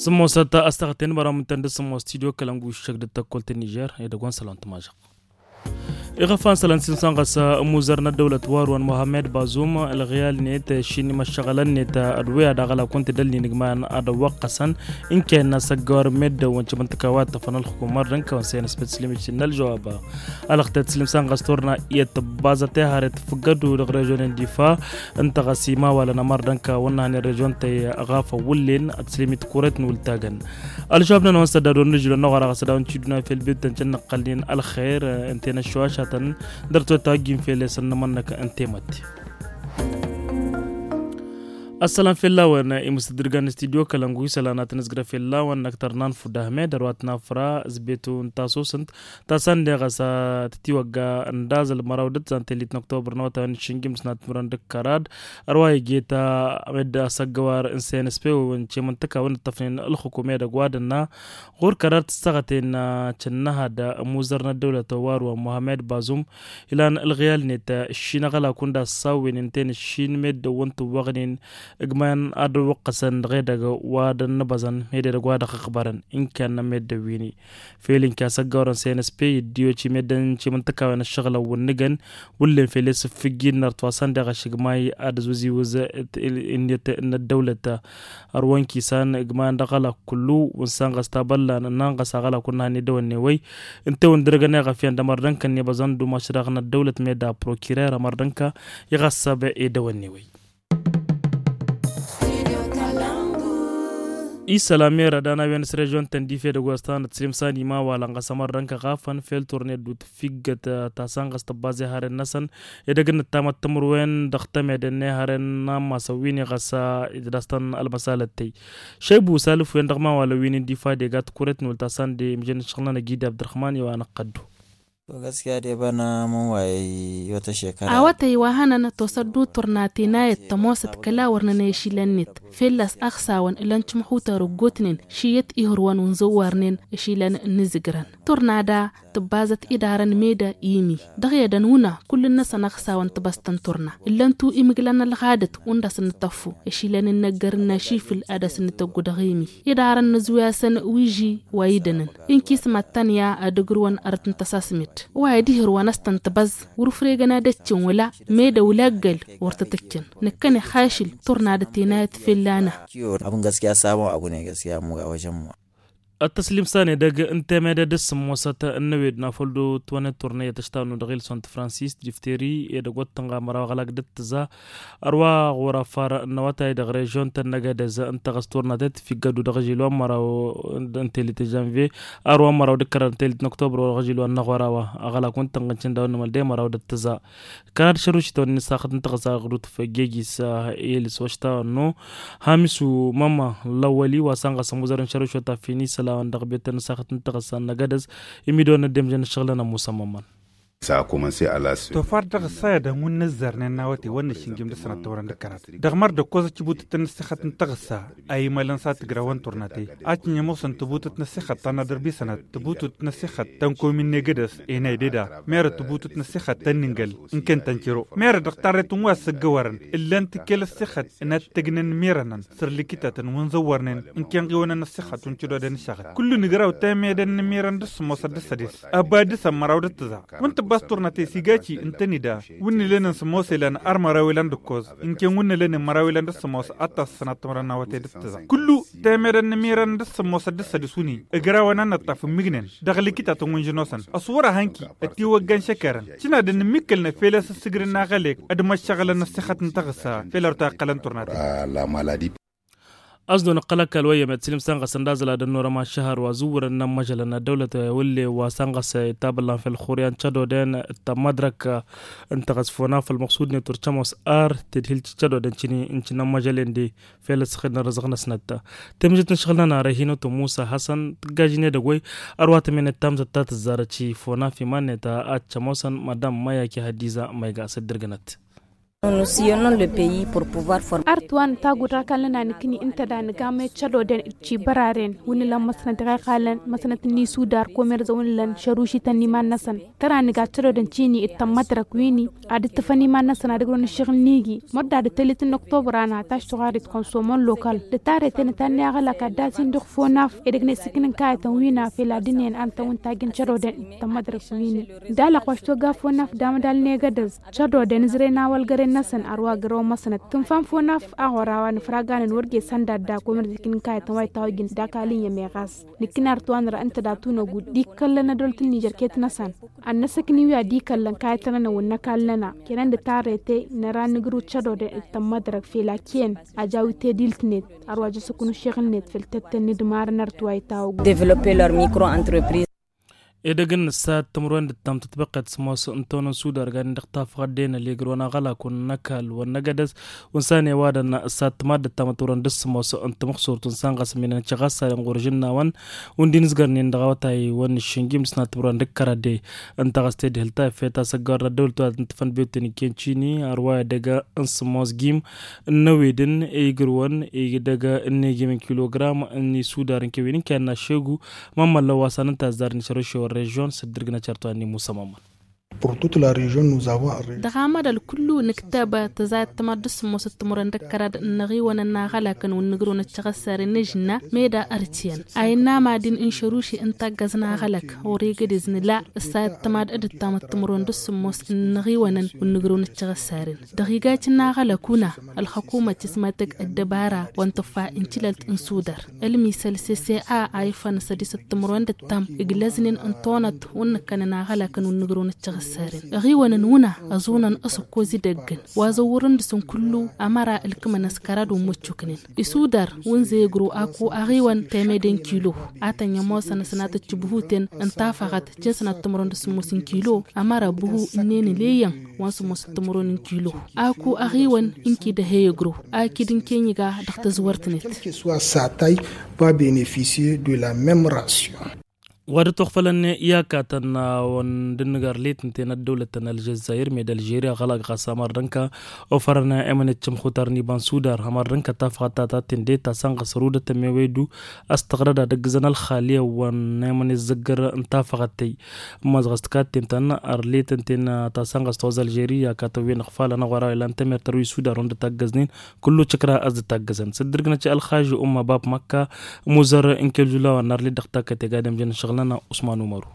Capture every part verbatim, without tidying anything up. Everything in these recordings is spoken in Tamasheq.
Sǝmmosăt a-s taɣăt-en măraw mǝntăn d-sǝmmos studio kălăngu iššăk d-tăkkolt n-nižer edăgg wa n-sălon tămažăɣ. Iɣăfan sălăn s-ilmsan ɣas amuzăr n-ăddăwlăt wa ruwan muhammed bazum ălɣiyal-net šin imăššăɣălăn-net. Ădwey ad-aɣălak wăn-t-dălnin igmayan ad-ăwwăqqăsăn inkăyăn n-asăggăwar meddǝn wăn cimǝntǝka wa ăṭṭăfăn ălxukum mărdăn kăwăn săyăn s-păt slim ici n-ălžăwab. Alăɣtet s-ilmsan ɣas turna iyyăt tǝbbazăt ehăre tǝfǝggădu dăɣ-režyon n-difa. Ǝnta ɣas imawalăn ămărdăn kăwăn-năhăn i-režyon-tăy ɣaf ăwwǝllen ad-t-slim i-tikuret n-wǝltagăn. Ălžăwab-nănăwăn s-ădda dor n-ažilon n-aɣăra ɣas ad-dăɣ-wăn ciduna fel bibtăn cănnăqqălnen ălxer. Ǝnta-en ăššoašatăn dăr-tawăt a ojjin fel esăn n-amănnăk ǝnta i-mătte. Ăssălam fell-awăn imǝstǝddǝrgan n-studyo kălăngu isălan ad-tăn-ǝzgrăf fell-awăn năkk tărnan fudahme dăr-wa t-nafra zbetu n-tasusǝnt. Tasăn deɣ a-s tătiwăgga ǝndazăl măraw d-ǝttǝzan tellit n-oktobăr n-awătay wa n-išǝnjǝm d-sănat timǝrwen d-kărad. Ărwa iget a-med asăggăwar n-snsp wăn cemăntăka wăn ǝttăfnen ǝlxǝkum edăgg wa dănna. Ɣur-kărad tǝssăɣăten cǝnnăhad ămuzăr n-ăddăwlăt wa ărwa muhammed bazum. Ilan ǝlɣiyal-net ǝššin aɣălak wăn d-assawwen ǝnta-en ǝššin meddǝn wăn tǝwwăɣnen. Ǝgmayăn ad-dd-wăqqăsăn dăɣ-edăgg wa dănna băẓăn ed edăgg wa dăɣ-ăɣbărăn inkăyăn n-meddǝn wi-ni. Fel inka asăggawărăn snsp iddiyo cimeddăn cimǝntăkawen ăššăɣǝlăn wǝnnǝgăn. Wǝllen fel i-sǝffǝjjin nărtwasăn deɣ ašǝgmay ad-ăzwǝziwǝz ǝnniyăt n-ăddăwlăt. Ărwăn kisan ǝgmayăn dăɣ-aɣălak kullu wǝnsan ɣas tabăllan ǝnnan ɣas aɣălak wǝnnăhăn edăwănne wăy. Ǝnta i-wǝndărăgăn i-ɣăfyan d-ămărdăn-kăn i-băẓăn d-umaš daɣ n-ăddăwlăt meda prokirer ămărdăn-kăn. I-ɣas săbăy edăwănne wăy. Isălan merăd anawen s-režyon tăndife d-ăgostan d-slimsan imawalăn ɣas ămărrăn kăɣafăn fel turne d-utfiggăt. Tasăn ɣas tăbbaze haren-năsăn edăgg n-ǝttamăt timǝrwen dăɣ-temedăn n-ehăren n-ammasăn wi-ni ɣas idăstăn ălmăsalăt tey. Šăybu salǝf-wen dăɣ-imawalăn wi-ni n-difa dega tikuret n-ultasan de mǝžăn ǝššăɣǝl-nănăg idi abdărhman i-wa năqqăddu. Gaskiya de bana mǝnwayăy i-wătăšekăra. Awătăy wa hănăn tosăddu turna tenayăt tămoosăt kăla wăr nănăy ašilăn-net. Fell-a-s ăɣsawăn ǝlăn cǝmxutăr ǝggutnen šiyyăt ihǝrwăn wǝnzăwwarnen ašilăn n-izǝgrăn. Turna da tǝbbazăt idarăn meda imi dăɣ-edăn wǝna kull-năsăn ăɣsawăn tibăstăn turna. Ǝllăn-tu imǝglăn ălɣadăt wǝnda s-nǝtăffu ašilăn n-inăggăr n-ašifǝl ad-dăr-s nǝtăggu dăɣ-imi. Iḍarăn n-ǝzwǝy-asăn wi iji wa idănăn inkis mad-tăn ya ad-ǝgrǝwăn arăt n-tăsasmet wa idihǝrwăn a-s tăn-tibăẓ wăr-ǝfregăn ad-ǝccǝn wăla. Meda wăla ăggăl wăr tăt-ǝccǝn. Năkkănex ašǝl turna d-tenayăt fell-ana. Abun gaskiya sabon abu ne gaskiya mu ga wajen mu. Ăttăslimsan edăgg n-temedăd d-sǝmmosăt n-năwed n-afăl d-otwănet turna i-tăštanu dăɣ-ilson t-fransis difteri edăgg wăr tǝnɣa măraw aɣlak d-ǝttǝza. Ărwa ɣur-afar n-awătay dăɣ-režyon tăn-năgădez ǝnta ɣas turna tetfiggădu dăɣ-ažil wa n-măraw n-telit n-žănvye. Ărwa n-măraw d-kărar n-telit n-oktobăr wa dăɣ-ažil wa n-năɣora wa aɣlak wăn tǝnɣa n-cǝndawăn n-măl de măraw d-ǝttǝza. Kănad šărušităn n-isaxăt n-tăɣǝsa ɣur-tufăjjejis. Ilis wa štawănnu hamisu mămma lăwăli wa săn ɣas ămuzăr n-šărušităn ta fini sălawăn dăɣ-betăn n-isaxăt n-tăɣǝsa n-năgădăz. Imidăwăn n-ăddemžăn n-ašăɣǝlăn ămusa mămman. Tofar dăɣ-ăssayădăn wǝnnă ăzzărnen n-awătay wănnă šǝnjǝm d-sănăt tăwrăn d-kărat dăɣ-măr d-ăkkoẓ ăcibutǝt n-ăssixăt n-tăɣǝsa. A imălăn s-ad-tǝgrawăn turnatăy. Ad-tǝnjămosăn tǝbutǝt n-ăssixăt ta n-ad-ărbisănăt tǝbutǝt n-ăssixăt ta n-komin n-egădăs. Enay deda merăt tǝbutǝt n-ăssixăt ta n-nǝngăl n-ken tănciro merăt dăɣ-tarret n-wa ăssăggăwărăn. Ǝllan-t kel ăssixăt n-ad-tăgnăn n-imirănăn săr-likitătăn wi n-zăwwărnen n-ken ɣiwănăn ăssixăt wi n-cădodăn ǝššăɣǝl. Kullu nǝgraw temedăn n-imirăn d-ǝssǝmmosăt d-ăssădes ăba dăr-săn măraw d-ǝttǝza. Wǝnta ăbas turnatăy s-iga ci ǝntănida wǝnni lănen sǝmmos ilan ărmăraw ilan d-ǝkkoẓ. N-ken wǝnni lănen măraw ilan d-ăssǝmmos ad-tasăsăn ad-tǝmrăn n-awătay d-ǝttǝza. Kullu temedăn n-imirăn d-ǝssǝmmos ad-dd-sădǝs wǝnni ǝgrawăn ad-nǝṭṭaf ǝmmǝgnen dăɣ-likitătăn wi n-žănosăn ăṣwăr-ahăn-ki ătiwăggan šăkărăn. Cǝnadăn ǝmmikălnăf fel a-s ǝssǝgrǝn aɣălek ad-măššăɣǝlăn ăssixăt n-tăɣǝssa fel ar ta iqqălăn turnatăy. A-s dd-onăqqăl ăkall wa iyyăm i-ad-sǝlǝm săn ɣas ăndazăl ad-ănnuram ašăhăr wa zǝwwărăn n-amăžălăn ăddăwlăt wălle wa săn ɣas itabăllan fel xuryan cădoden d-tamădrăk. Ǝnta ɣas fona făll-măqsud-net wăr cămoos ar tedhil cădoden cǝni n-cǝnnămmăžălen de fel ăssăxed n-ărrăzăɣ-năsnăt. Temǝžet n-ašăɣǝl-nănarăy hinăt wa musa hasăn tǝggajin edăgg-wăy. Ărwa tămenet tamzăt ta tǝzzarăt šifona f-iman-net ad-cămosăn madam mayaki hadiza mayga s-dd-irgǝnăt. Ar tǝwan tagud ra kalnăn a nǝkni ǝnta da nǝgam i-cădoden d-cibăraren wǝnnǝlăn măsnăt dăɣ-iqalăn măsnăt n-isudar komerza wǝnnǝlăn šărušităn n-iman-năsăn tăra nǝga cădoden cini d-tămmătrăk wini ad-ǝttǝfăn iman-năsăn ad-ǝgrăwăn ǝššăɣǝl n-igi. Mărda d-tălit n-oktobăr ana taš tuɣarit konsomăn lokal d-tarete n-tanne aɣălak ad-dd-asin dăɣ-fonaf edăgg n-esǝknǝn kayătăn wina fel ad-ǝnnen ad-ǝntăwǝn tajǝn cădoden d-tămmătrăk wini. D-alăqwaš toga fonaf d-amădal n-egădăz cădoden ǝzrăyăn awălgăren-năsăn ar wa gărăwăn măsnăt tǝnfa n-fonaf aɣora wa n-ǝfraganăn wăr gesăn d-ad-dak wămăr d-ikǝn n-kayătăn wa itawăjjăn d-akal iyyăm iɣas. Nǝkkǝn artǝwan dăɣ-ǝnta datun ăgud d-ikkăllăn ădolăt n-nižăr ket-năsăn ad-năsăkniwi ad-ikăllăn kayătăn-nănăwăn n-ăkall-nănăɣ kănăn d-tarrete năra nǝgrǝw d-cădodăn d-tămmădrăg fel a ken. Ajawit tedil-tǝnet ar wa jăsăknu šeɣǝl-net fel tăttăn n-idmarăn artǝwa itawăgud. Edăgg n-ǝssat timǝrwen d-ǝttam tǝtbăqqet s-ămoos n-tonăn sudar ganin dăɣ-tafăɣăt d-enăl i-ǝgrǝwăn aɣălak wăn n-ăkall wăn n-egădăz. Wăn s-a n-ewadăn ǝssat timaddǝt tamăturăn d-ǝssǝmos n-tamăxsurt wăn s-a n-ɣas ăminen căɣassaren ɣur-žǝnnawăn wăn d-inǝzgărnen dăɣ-awătay wăn n-iššǝnjim d-sănat timǝrwen d-ǝkkărăde. Ǝnta ɣas tedhǝlt ta iffet asăggawăr n-ăddăwlăt wa tǝntǝfăn biyotăn ikken cini ărwa edăgg n-sǝmos gim n-ăwedǝn i-igǝrwăn idăgg n-egim n-kilogram n-isudar n-kewin n-kenna šegu. Mămmăllăn wa s-anăn tazzar n-išărăšewăn režion s-dd-irgǝnăt šărtwa n-imusămămăn. Dăɣ-amăḍal kullu nǝktăb tăzayăt timaḍ d-ǝssǝmmos d-timǝrwen d-ǝkkărad n-iɣiwănăn n-aɣălakăn wǝnnǝgrǝwăn d-tiɣăssaren n-ežǝnna meda ărtiyen a innă madin n-šăruši n-taggăẓ n-aɣălak. Ɣur-egădez nǝla ǝssayăt timaḍ d-ǝttamăt timǝrwen d-ǝssǝmmos n-iɣiwănăn wǝnnǝgrǝwăn d-tiɣăssaren dăɣ-igacǝn n-aɣălak una. Ălxăkumăt ismătăg ăddăbara wa n-tǝffa n-tilălt n-sudar ălmisăl s-s a a ifăn s-ădisăt timǝrwen d-ǝttam iglăznen n-tonăt wǝnnǝkkănăn aɣălakăn wǝnnǝgrǝwăn d-tiɣăssaren. Ăɣiwănăn wǝna ăẓunăn asǝkkoz idăggăn wa zăwwărăn dăɣ-săn kullu ămăra ǝlkǝmăn ăskăra d-ummǝccuknen isudar wǝnzăy ǝgrǝw aku aɣiwăn temede n-kilo. A tăn-i-ămoosăn ăsnatăt tibhuten n-tafăɣăt jăn sănat timǝrwen d-sǝmmos n-kilo ămăra ǝbhu ǝnne n-ǝleyyăn wa n-sǝmmos timǝrwen n-kilo. Aku aɣiwăn n-kidăhe i-ǝgrǝw akǝd n-keniga dăɣ-tăzwărt-net. Satay va benefisiye de la mem ration. Wa dăɣ-tuɣfălăn i-akatăn wăn d-ǝnnǝgar letǝnten ăddăwlăt n-ălžăzzayir med ălžeri aɣălak ɣas amăr d-ǝnka ofărăn emănet cǝmxutar n-iba n-sudar amăr d-ǝnka tafăɣăt ta tatten de ta sănɣăs rudăt ămewăydu. A-s tăɣrăd ad-ăggǝzăn ălxaliyăwăn n-emănet zǝggăr n-tafăɣăt-tăy. Ǝmmăẓɣăs tǝkatten-tăn ărletăn-ten ta sănɣăs toz ălžeri i-akatăn wi n-ăɣfalăn aɣora ilan tămer tărwi sudar wăn dd-taggăznen. Kullu căkra a-s dd-taggăzăn s-dd-ǝrgǝnăt i-ălxaži umma bab măkka. Muzăr n-kelžulawăn n-arlet dăɣ-takkăt i-gadem jăn ǝššăɣǝl-nănăɣ usman umaru.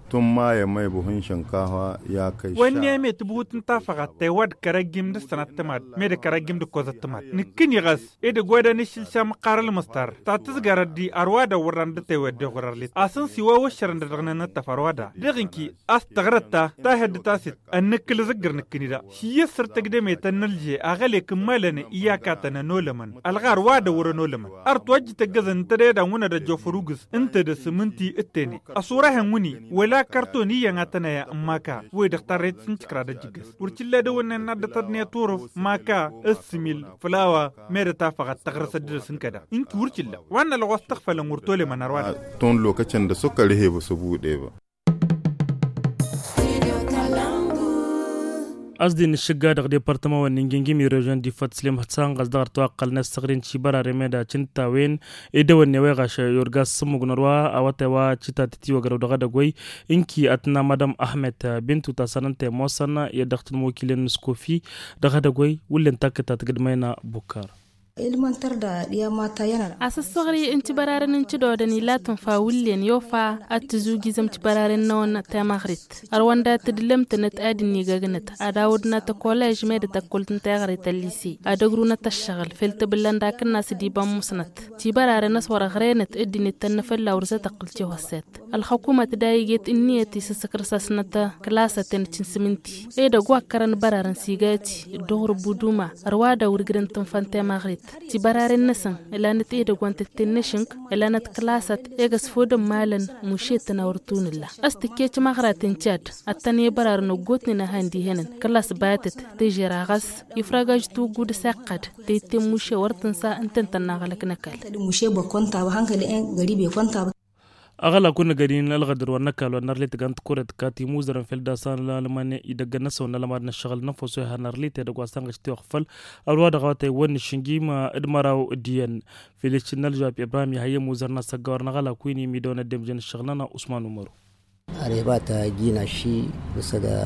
Tǝmmayăm i-buhǝn šǝnkafa i-akăy. Wănni emet buhut n-tafăɣăt tăy wa d-kărăjjim d-ǝssănăt tǝmad. Med kărăjjim d-ǝkkozăt tǝmad nǝkkǝni ɣas edăgg wa d-anǝššǝlša măqqar ălmăstar ta tǝzgarăt di ărwa d-awărran d-tewet d-eɣur ărlet asǝnsi wa wăššărăn d-dăɣ-nănăttăf ărwa da dăɣ-inki. A-s tăɣrăt ta tahăddǝt a-s dd-ănnǝkkǝl ǝzǝggǝr nǝkkǝni da. Šǝyyǝs săr-tăgdăme ta n-ălže aɣăle kǝmmalăn i-akatăn ănolămăn ălɣar wa d-ăwwăr ănolămăn. Ărtu ăjjǝt ăggăzăn ǝnta dăɣ-e-dan wǝnăd ăjjof ărugǝz ǝnta dăr-s mǝnti d-tene ăsurahen wǝni wăla kărton iyyăn ad-tăn-aya n-maka. Wăy-dăɣ tarret n-tikra d-ăjjǝggăs wăr t-illa d-awănnen n-ad-dd-tăḍniyăt urǝf maka ǝssǝmil flawa. Merăt afăɣăt tăɣrăsăt dăr-s n-kăda ǝnki wăr t-illa. Wa n-ălɣos tăɣfălăn wăr tolămăn ărwa-dăɣ. Tun lokăcăn d-asukăr ih'-e băsăbu d-eba. A-s dd-inǝššǝgga dăɣ-departăma wa n-ingingim i-režion d-ifăt slim hătsanɣăs dăɣ-ărtăwaqqălnen s-săɣrin šibăraren meda cǝntawen. Edăwănne wa iɣaš i-urga s-sǝmmug n-ărwa awătay wa cǝtatăt iwăgrăw dăɣ-edăgg wăy. Ǝnki ad-tǝnna madam ahmed bintu ta sănăn ta i-ămoosăn i-ad-dăɣ-tǝnmokilăn n-skofi dăɣ-edăgg wăy. Wǝllen takkǝt ta tǝgǝdmăyna bukkar. Asǝssăɣri n-tibăraren n-tǝdodăn ila tǝnfa wǝllen i-ofa ad-tǝzujǝzăm tibăraren-năwăn temăɣrit. Ărwăn dat-tǝdlăm-tănăt ad-dd-nigăgnăt ad-awǝdnăt ăkolej med tăkkolt n-teɣrit ăllise ad-ăgrunăt ăššăɣǝl fel tǝbǝllan d-akǝnnas d-iba n-musnăt. Tibăraren a-s wăr-ăɣrenăt dd-inǝttănnă fălla wăr zătăqqǝl tihosset. Ălxăkumăt da iget ǝnniyăt isǝssǝkrǝs-asnăt kǝlasăten d-tinsǝmǝnti. Edăgg wa ǝkkărăn bărarăn s-igati dd-oɣrǝb uduma. Ărwa da wăr-ǝgrǝn tǝnfa n-temăɣrit. Tibăraren-năsăn ǝlanăt edăgg wa n-tǝtte n-ešǝnk ǝlanăt kǝlasăt. Egăs fodăn malăn mušetăn a wăr tunǝlla. A-s tǝkkečăm aɣraten cad ad-tăn-e-bărarăn ăggootnen a han-dihănăn kǝlas batăt. Težera ɣas ifragaj tuggu d-aseqqăd. Teyǝtte n-muše wăr tǝnsa ǝnta ǝntănna aɣlăk n-ăkall. Muše băkkontaba hankăl-en gări băkkontaba. Aɣălak wǝnnăgăd-in ălɣădăr wa n-ăkall wa n-arlit tăgg-an tăkkuret kătimuzărăn fel dasa n-alman idăggăn n-asăwăn n-alman n-ăššăɣǝl n-ănfăso ihăn arlit edăgg wa s-tăn-ɣăš tiwăɣfăl. Ălwa dăɣ-awătay wănn išǝnjim d-măraw d-iyyăn. Fel išǝnnă ălžăwab ibrahim ihăyy ămuzăr n-asăggawăr n-aɣălak wi n-imidăwăn ăddemjăn ǝššăɣǝl-nănăɣ usman umaru. Areva ta jina ši.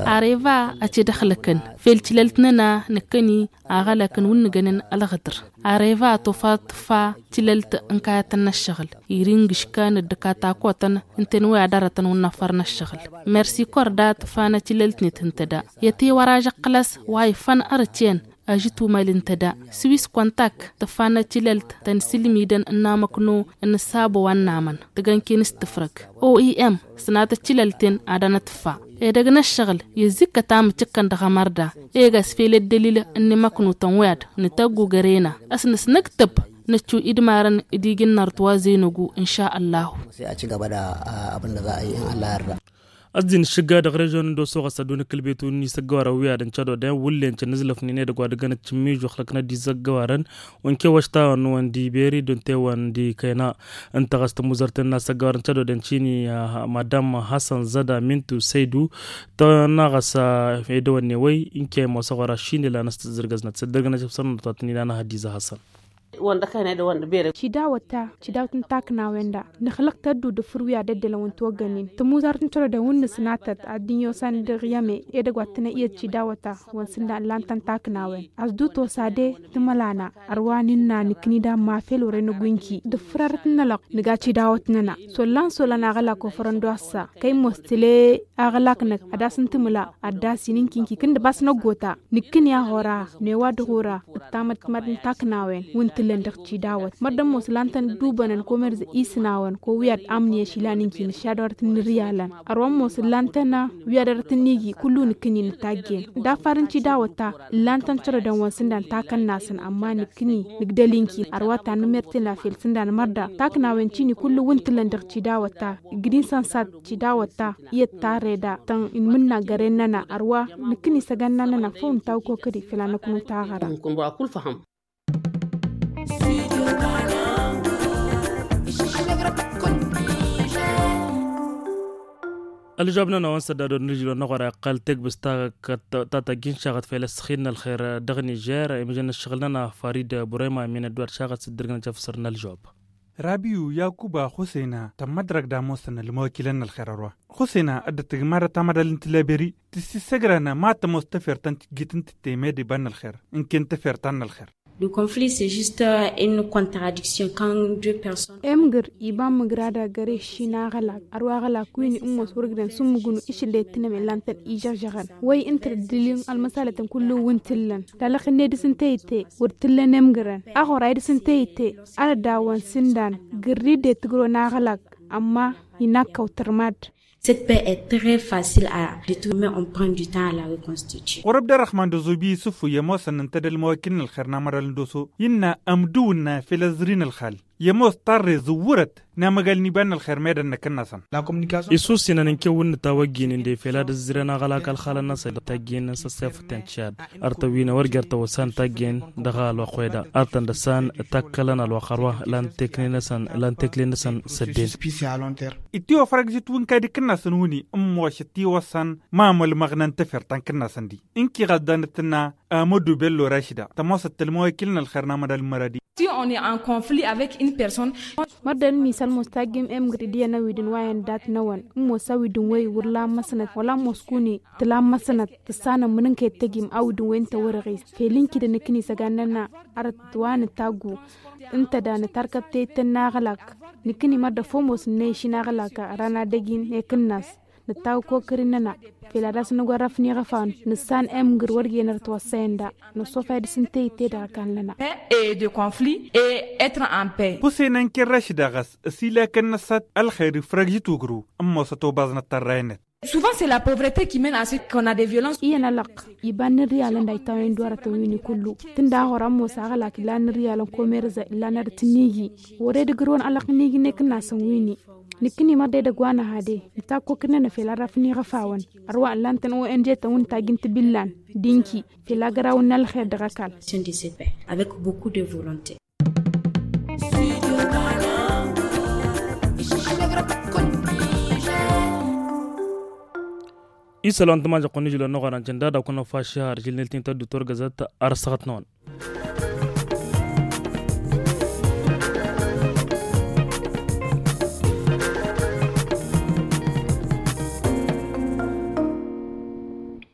Areva a t-dd-ăxlăkăn fel tilălt-nănăɣ năkkăni aɣălakăn wǝnnǝgănăn ălɣǝdăr. Areva a tofat tǝffa tilălt n-kayătăn n-ăššăɣǝl iring ǝškan dd-katakotăn ǝnta n-wa i-ad-arătăn wǝnnăfăr n-ăššăɣǝl. Mersi korda tǝffană tilălt-net ǝnta da i-ătiwăraž ăqqălăs wa ifăn ărǝtyăn. Ažǝt umal ǝnta da swis kontak tǝffană tilălt ta n-sǝlmidăn n-amăkno n-ăssabo wa n-namăn tǝgănken s-tǝfrăg. Oem sănatăt tilălt-en ad-anătǝffa edăgg n-ăššăɣǝl i-ăzzikkăt amǝcǝkkăn dăɣ-amărda. Egas fel ăddălil n-imăknutăn wi-ad-nǝtăggu gărena ăsnăsnăktăb năccu idmarăn d-iji n-nărăt wa zăynăgu n-šăllahu. Ăzzin ǝššǝgga dăɣ-režyon n-doso ɣas ădduun ǝkkǝlbetu n-isăggăwarăn wi ad-ǝncădodăn wǝllen cănnǝzlăfnen edăgg wa dăgg-anăt cǝmmižu ăxlăknăt d-isăggăwarăn. Wănke wăštawăn n-wăn d-iberi d-wănte wăn d-ikăyna. Ǝnta ɣas tămuzărten n-asăggăwarăn cădodăn cini madam hassan zăda mintu săydu. Tănna ɣas edăwănne wăy ǝnke ămoosăɣ wăr-ašin ilan ăstăzzărgăznăt s-ăddărgăn ăšăf săr-năt wa tăn-ilan ahăddiz a hassan. Wăndăkăyăn edăwănne bere. Cidawăt ta cidawt n-taknawăyăn da nǝxlăq tăddu d-afǝr wi ad-ăddălăn wǝnta oggănen tămuzart n-cărodăn wǝnnǝs n-atăt ad-dd-inyosan dăɣ-i ăme. Edăgg wa t-tănăyyăt cidawăt ta wăn sǝndan ǝllan-tăn taknawăyăn. Asdut osa de tǝmălana ărwa n-innă nǝkkǝni d-amma fel wăren ăgwǝnki d-afǝr arăt n-ălăɣ. Nǝga cidawăt-nănăɣ s-ollan s-ollan aɣălak ofărăn d-wa s-sa kăy-ămoos tǝle aɣălak-năk ad-as-ǝntǝmǝla ad-dd-asin ǝnki ǝnki kǝndǝb a-s năggota. Nǝkkǝni a ɣur-a n-ewa d-ɣur-a d-tamăttmăd n-taknawăyăn wi n-tǝllăn dăɣ-cidawăt mărdăn ămoos ǝllan-tăn dd-ubănăn komărz isǝnawăn ko wi ad-amǝnǝyăš ilan ǝnki nǝššad wăr t-nǝrǝyalăn. Ărwa ămoos ǝllan-tăn wi ad-ărăt ǝnniji kullu nǝkkǝni nǝtajjen d-afar n-cidawăt ta ǝllan-tăn cărădăn wa n-sǝndan takănnasăn ămma nǝkkǝni nǝgdăl-inki ărwa ta n-mărtǝna fel sǝndan mărda taknawăyăn cini kullu wi n-tǝllăn dăɣ-cidawăt ta. Ǝggǝd-in săn sat cidawăt ta iyyăt tarreda tăn-inmǝnna găren-nănăɣ ărwa nǝkkǝni isăgănna-nănăɣ făw nǝtawkokăd-i făll-a năknut aɣăra. Ălžăwab-nănăɣ wa n-sădda dor n-ǝžǝl wa n-aɣora iqqăl tegbǝst ta tăgg-in šaɣăt fel ăssăxin n-ălxer dăɣ-nižer imǝžăn ǝššăɣǝl-nănăɣ farid burema min ădduwăt šaɣăt s-dd-ǝrgǝnăt jăf săr n-ălžăwab. Rabiyu yakuba xusena tămmădrăg d-ămoosăn ălmăwăkilăn n-ălxer ărwa xusena dd-tǝgmădăt amădal n-tileberi tǝssǝssăgrănă ma tămoos tefert ta n-tijjit n-tǝtte mede iba n-ălxer. Ǝnken tefert ta n-ălxer. Le conflit c'est juste une contradiction quand deux personnes. Emgǝr iba n-mǝgrada găre šin aɣălak ărwa aɣălak wi n-ămoos wăr ǝgdăn s-ǝmmǝgnu išǝllet tǝnăm illan-tăn ižăɣžăɣăn wăy ǝnta d-ǝddǝl-in ălmăsalătăn kullu wi n-tǝllăn talăxǝnne dăr-s n-teyǝtte wăr tǝllăn emgǝrăn. Aɣora i-dăr-s n-teyǝtte ad-ădawăn s-ǝndan gǝrri dd-e tǝgrǝwăn aɣălak ămma inakkăw tărmad. Cette paix est très facile à détruire mais on prend du temps à la reconstituer. Ɣur-ăbd ărrăxman d-azubi isǝffu i-ămoosăn ǝnta d-ălmăwăkil n-ălxer n-amăral n-doso innă ămdǝw ǝnna fel ăẓri n-ălxal i-ămoos tarre zǝwwărăt n-amăgal n-iba n-ălxer meddǝn năkk-năsăn. Isussinăn n-kewǝn n-tawăjjin ǝnde fel ad-ǝzzǝrăn aɣălak ălxalăn-năsăn tajjen s-ăssefăten tišad. Ărtăn wi n-ewăr jer-tăwăsa n-tajjen dăɣ-alwăqq wi-da ărtăn dăr-san takkălăn alwăqq ărwa lan tekle-năsăn lan tekle-năsăn s-ăddin. Itiwăfrăg žǝt wi n-kadi kǝnnasăn wǝni ǝmmošăt tiwăsăn ma mălmăɣnăn tefert ta n-kǝnnasăn di ǝnki ɣas danăt tǝnna. Amădu bello rašida tămoosăt tălmăwăkil n-ălxer n-amădal n-măradi. Si on est en conflit avec une personne. Mărdăn misăl mostajjim emgǝr d-iyyăn awidǝn wa i-ăndat-năwăn ǝmmos awidǝn wăy wăr la n-măsnăt wăla ămmos kuni tǝla n-măsnăt tǝssanăm mǝnǝnka i-tăjim awidǝn wăy ǝnta wăr-ăɣis fel ǝnki d-nǝkkǝn isăgan-nănăɣ. Arăt wa nǝtaggu ǝnta da nǝtarkăb teyǝttăn n-aɣlak. Nǝkkǝni mărdăf omos n-năyǝši n-aɣlak ărăn ad-ăjin i-kǝnnas nǝttawăk okări-nănăɣ fel ad-dăr-s nǝgwărrăf n-iɣăfawăn nǝssan emgǝr wăr jenăr ătwăssăyăn da năsofay dăr-s n-teyǝtte dăɣ-ăkall-nănăɣ. Paix et de conflit et être en paix. Kusenăn kerrăš daɣ a-s ăsilakăn-năsăt ălxer ifrăgžǝt wăgru ămoosăt obaẓnăt tărraynet. Souvent c'est la pauvreté qui mène à ce qu'on a des violences. Iyyăn ălăqq iba n-inriyalăn daytawăn i-dd-wărătăn win-i kullu tǝnda a ɣur-ămoos aɣlak illa n-inriyalăn komerza illa n-ad-tǝnniji wăr-e-d ǝgrǝwăn ălăqq n-iji n-ekǝnnasăn win-i. Nǝkkǝni mărdedăgg wa n-ehăde nǝtakk okǝd-nănăɣ fel ad-rafăn iɣăfawăn ărwa ǝllan-tăn o n g-tăn wi n-tajjǝn tibillan d-inki fel agărawăn n-ălxer dăɣ-ăkall. Avec beaucoup de volonté. Isălan tămažăɣ-kăwăn-ižǝlăn n-oɣăran jănda ad-akăwăn-năfašăh ar žǝlnel tinta d-utor găzăt. Ar ăssăɣăt-năwăn.